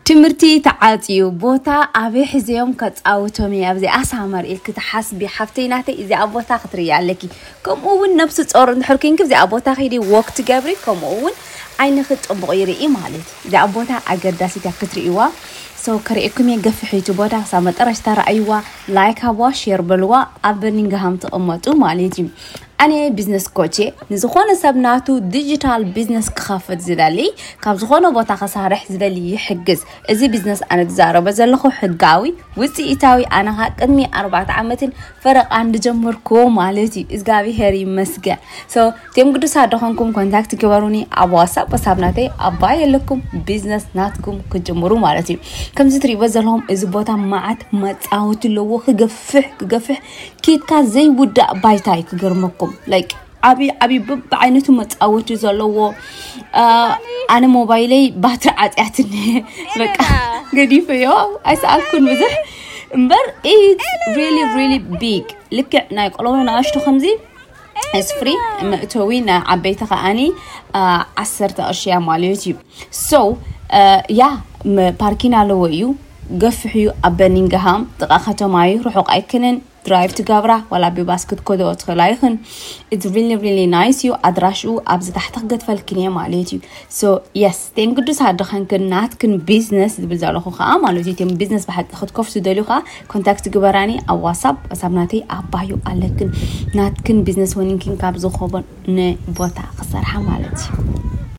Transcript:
ትምህርቲ ተዓፅዩ ቦታ ኣበይ ሕዘዮም ከፃውቶም እየ ኣብዚኣ ሳመር ኢልኪ ትሓስቢ ሓፍተይ ናተይ እዚኣ ቦታ ክትርእያ ኣለኪ። ከምኡ እውን ነብሲ ጾር እንድሕር ኮንኪ እዚኣ ቦታ ከይዲ ወክ ትገብሪ ከምኡ እውን ዓይንኺ ጥቡቕ ይርኢ ማለት እዩ። እዚኣ ቦታ ኣገዳሲት እያ ክትርእይዋ። ሰው ከርእየኩም እየ ገፍሒቱ ቦታ ክሳብ መጠረሽታ ረኣይዋ። ላይክ ሃብዋ፣ ሼር በልዋ። ኣብ በርኒንግሃም ትቕመጡ ማለት እዩ። ኣነ ቢዝነስ ኮቼ ንዝኾነ ሰብ ናቱ ዲጂታል ቢዝነስ ክኸፍት ዝደሊ ካብ ዝኾነ ቦታ ከሳርሕ ዝደሊ ይሕግዝ። እዚ ቢዝነስ ኣነ ዝዛረበ ዘለኹ ሕጋዊ ውፅኢታዊ ኣነ ኸዓ ቅድሚ ኣርባዕተ ዓመትን ፈረቓ እንድጀመርኩዎ ማለት እዩ። እግዚኣብሄር ይመስገን። So እቲኦም ግዱሳት ደኾንኩም ኮንታክት ግበሩኒ ኣብ ዋትሳፕ ወሳብ ናተይ ኣባይ የለኩም ቢዝነስ ናትኩም ክጅምሩ ማለት እዩ። ከምዚ ትሪእዎ ዘለኹም እዚ ቦታ መዓት መፃወቲ ኣለዎ። ክገፍሕ ክገፍሕ ኬድካ ዘይውዳእ ባይታ እዩ ክገርመኩም። ላይክ ዓብዪ ዓብዪ በብዓይነቱ መፃወቲ ዘለዎ። ኣነ ሞባይለይ ባትሪ ዓፅያትኒ በቃ ገዲፈዮ። ኣይሰኣልኩን ብዙሕ እምበር it's really really big። ልክዕ ናይ ቆልዑ ንኣሽቱ ከምዚ ስፍሪ መእተዊ ናይ ዓበይቲ ከዓኒ ዓሰርተ ቅርሺ እያ ማለት እዩ። So ያ ፓርኪን ኣለዎ እዩ። ገፍሕ እዩ ኣብ በርኒንግሃም ጥቓ ከተማ እዩ፣ ርሑቕ ኣይክንን። ድራይቭ ትገብራ ዋላ ብባስ ክትከዶ ትኽእላ ይኽን። It's really really nice እዩ። ኣድራሽኡ ኣብዚ ታሕቲ ክገድፈልክን እየ ማለት እዩ። So yes ቴን ግዱስ ኣደኸንክን ናትክን ቢዝነስ ዝብል ዘለኹ ከዓ ማለት እዩ። ቴን ቢዝነስ ብሓቂ ክትከፍቱ ደልዩ ከዓ ኮንታክት ግበራኒ ኣብ ዋትሳፕ። ዋትሳፕ ናተይ ኣባዩ ኣለክን ናትክን ቢዝነስ ወኒንክን ካብ ዝኾቦን ንቦታ ክሰርሓ ማለት እዩ።